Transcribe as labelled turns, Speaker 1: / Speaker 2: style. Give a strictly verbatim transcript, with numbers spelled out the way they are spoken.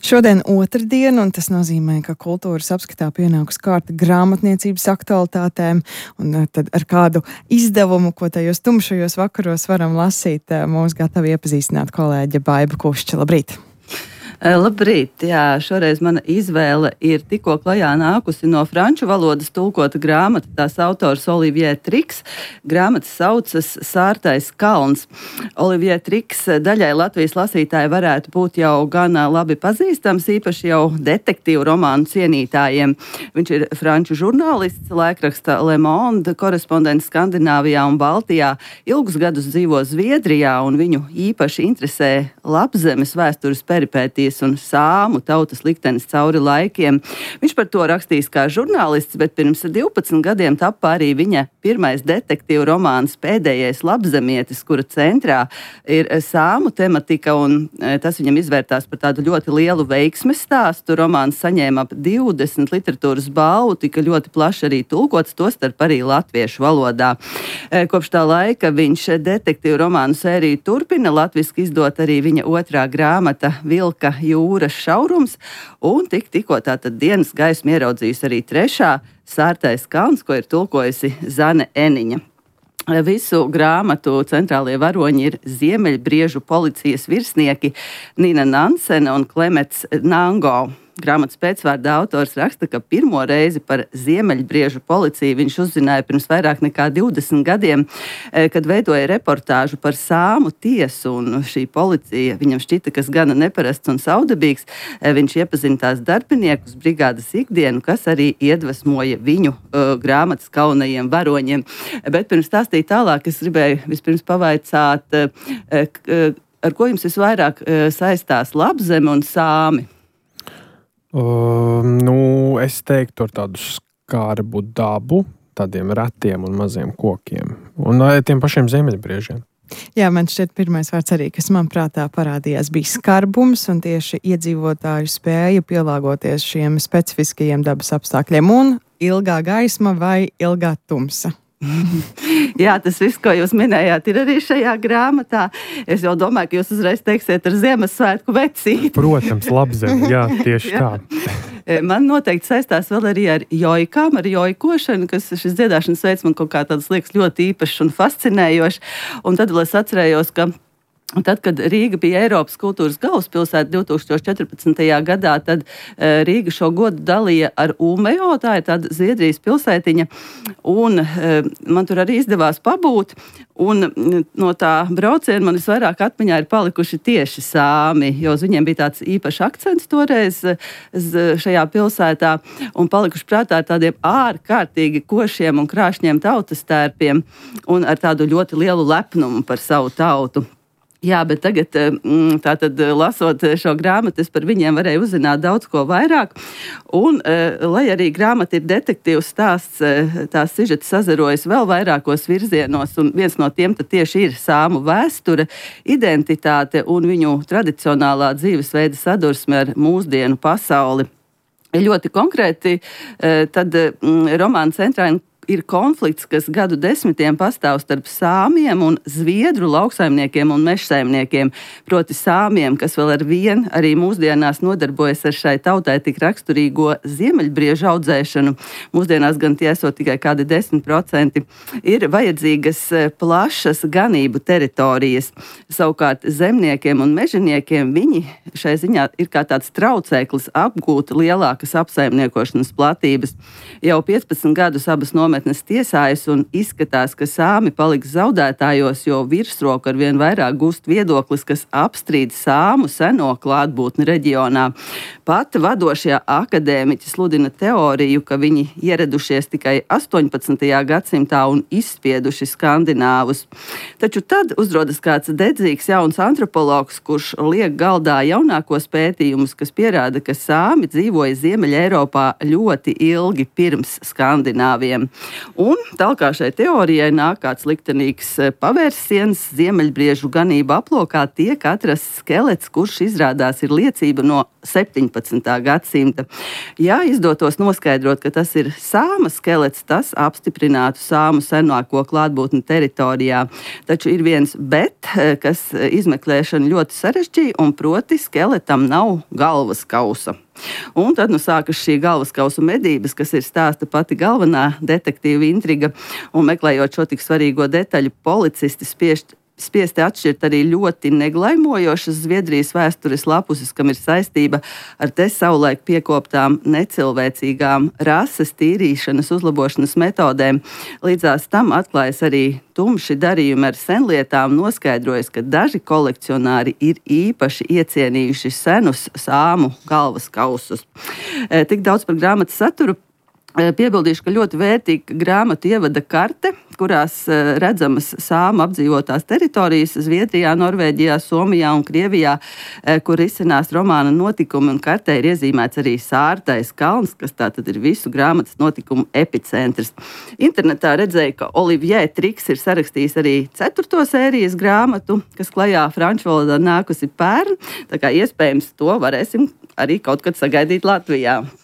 Speaker 1: Šodien otrdiena, un tas nozīmē, ka kultūras apskatā pienāks kārta grāmatniecības aktualitātēm, un tad ar kādu izdevumu, ko tajos tumšajos vakaros varam lasīt, mūs gatavi iepazīstināt kolēģe Baiba Kušča. Labrīt!
Speaker 2: Labrīt! Jā, šoreiz mana izvēle ir tikko klajā nākusi no franču valodas tulkota grāmata. Tās autors Olivier Triks. Grāmata saucas Sārtais kalns. Olivier Triks daļai Latvijas lasītāji varētu būt jau gan labi pazīstams, īpaši jau detektīvu romānu cienītājiem. Viņš ir franču žurnālists, laikraksta Le Monde, korespondents Skandināvijā un Baltijā. Ilgus gadus dzīvo Zviedrijā, un viņu īpaši interesē Lapzemes vēstures peripētijas un sāmu tautas liktenis cauri laikiem. Viņš par to rakstījis kā žurnālists, bet pirms divpadsmit gadiem tappa arī viņa pirmais detektīvu romāns Pēdējais lapzemietis, kura centrā ir sāmu tematika, un tas viņam izvērtās par tādu ļoti lielu veiksmes stāstu. Romāns saņēma ap divdesmit literatūras balvu, tika ļoti plaši arī tulkots, tostarp arī latviešu valodā. Kopš tā laika viņš detektīvu romānu sēriju turpina, latviski izdot arī viņa otrā grāmata Vilka jūras šaurums, un tik tikko tātad dienas gaismu ieraudzījusi arī trešā Sārtais kalns, ko ir tulkojusi Zane Eniņa. Visu grāmatu centrālie varoņi ir Ziemeļbriežu policijas virsnieki Nina Nansene un Klemets Nango. Grāmatas pēcvārda autors raksta, ka pirmo reizi par Ziemeļbriežu policiju viņš uzzināja pirms vairāk nekā divdesmit gadiem, kad veidoja reportāžu par sāmu tiesu, un šī policija viņam šķita, kas gana neparasts un saudabīgs. Viņš iepazina tās darbiniekus, brigādes ikdienu, kas arī iedvesmoja viņu uh, grāmatas galvenajiem varoņiem. Bet pirms stāstīt tālāk, es gribēju vispirms pavaicāt, uh, uh, ar ko jums visvairāk uh, saistās Lapzeme un sāmi?
Speaker 3: Uh, nu, es teiktu ar tādu skarbu dabu, tādiem retiem un maziem kokiem. Un uh, tiem pašiem ziemeļbriežiem.
Speaker 1: Jā, man šķiet pirmais vārds arī, kas man prātā parādījās, bija skarbums un tieši iedzīvotāju spēja pielāgoties šiem specifiskajiem dabas apstākļiem. Un ilgā gaisma vai ilgā tumsa?
Speaker 2: Jā, tas viss, ko jūs minējāt, ir arī šajā grāmatā. Es jau domāju, ka jūs uzreiz teiksiet ar Ziemassvētku vecīti.
Speaker 3: Protams, Lapzeme, jā, tieši jā. Tā.
Speaker 2: Man noteikti saistās vēl arī ar jojkām, ar jojkošanu, kas šis dziedāšanas veids man kaut kā tāds liekas ļoti īpašs un fascinējošs. Un tad vēl es atcerējos, ka tad, kad Rīga bija Eiropas kultūras galvaspilsēta divi tūkstoši četrpadsmitajā gadā, tad Rīga šo godu dalīja ar Umejo, tā ir tāda Zviedrijas pilsētiņa, un man tur arī izdevās pabūt, un no tā brauciena man visvairāk atmiņā ir palikuši tieši sāmi, jo uz viņiem bija tāds īpašs akcents toreiz šajā pilsētā, un palikuši prātā ar tādiem ārkārtīgi košiem un krāšņiem tautas tērpiem, un ar tādu ļoti lielu lepnumu par savu tautu. Jā, bet tagad, tātad, lasot šo grāmatu, es par viņiem varēju uzzināt daudz ko vairāk. Un, lai arī grāmata ir detektīvs stāsts, tās sižeti sazarojas vēl vairākos virzienos, un viens no tiem tad tieši ir sāmu vēsture, identitāte un viņu tradicionālā dzīvesveida sadursme ar mūsdienu pasauli. Ļoti konkrēti, tad romāna centrā ir konflikts, kas gadu desmitiem pastāv starp sāmiem un zviedru lauksaimniekiem un mežsaimniekiem. Proti sāmiem, kas vēl ar vien arī mūsdienās nodarbojas ar šai tautai tik raksturīgo ziemeļbriežu audzēšanu. Mūsdienās gan tie esot tikai kādi desmit procenti. Ir vajadzīgas plašas ganību teritorijas. Savukārt zemniekiem un mežaniekiem viņi šai ziņā ir kā tāds traucēklis apgūt lielākas apsaimniekošanas platības. Jau piecpadsmit gadus abas nometnes tiesājas un izskatās, ka sāmi paliks zaudētājos, jo virsroku ar vien vairāk gūst viedoklis, kas apstrīd sāmu seno klātbūtni reģionā. Pat vadošie akadēmiķi sludina teoriju, ka viņi ieradušies tikai astoņpadsmitajā gadsimtā un izspieduši skandināvus. Taču tad uzrodas kāds dedzīgs jauns antropologs, kurš liek galdā jaunākos pētījumus, kas pierāda, ka sāmi dzīvoja Ziemeļa Eiropā ļoti ilgi pirms skandināviem. Un tālāk šai teorijai nāk kāds liktenīgs pavērsiens. Ziemeļbriežu ganību aplokā tiek atrasts skelets, kurš izrādās ir liecība no septiņpadsmitā gadsimta. Ja izdotos noskaidrot, ka tas ir sāma skelets, tas apstiprinātu sāmu senāko klātbūtni teritorijā. Taču ir viens bet, kas izmeklēšanu ļoti sarežģīja, un proti skeletam nav galvas kausa. Un tad nu sākas šī galvaskausa medības, kas ir stāsta pati galvenā detektīva intriga, un meklējot šo tik svarīgo detaļu, policisti spiešt Spiesti atšķirt arī ļoti neglaimojošas Zviedrijas vēstures lapuses, kam ir saistība ar te savulaik piekoptām necilvēcīgām rases tīrīšanas uzlabošanas metodēm. Līdzās tam atklājas arī tumši darījumi ar senlietām, noskaidrojas, ka daži kolekcionāri ir īpaši iecienījuši senus sāmu galvas kausus. Tik daudz par grāmatas saturu. Piebildīšu, ka ļoti vērtīga grāmatu ievada karte, kurās redzamas sāmu apdzīvotās teritorijas Zviedrijā, Norvēģijā, Somijā un Krievijā, kur izcinās romāna notikumi, un kartē ir iezīmēts arī Sārtais kalns, kas tātad ir visu grāmatas notikumu epicentrs. Internetā redzēju, ka Olivier Triks ir sarakstījis arī ceturto sērijas grāmatu, kas klajā franču valodā nākusi pērn, tā kā iespējams to varēsim arī kaut kad sagaidīt Latvijā.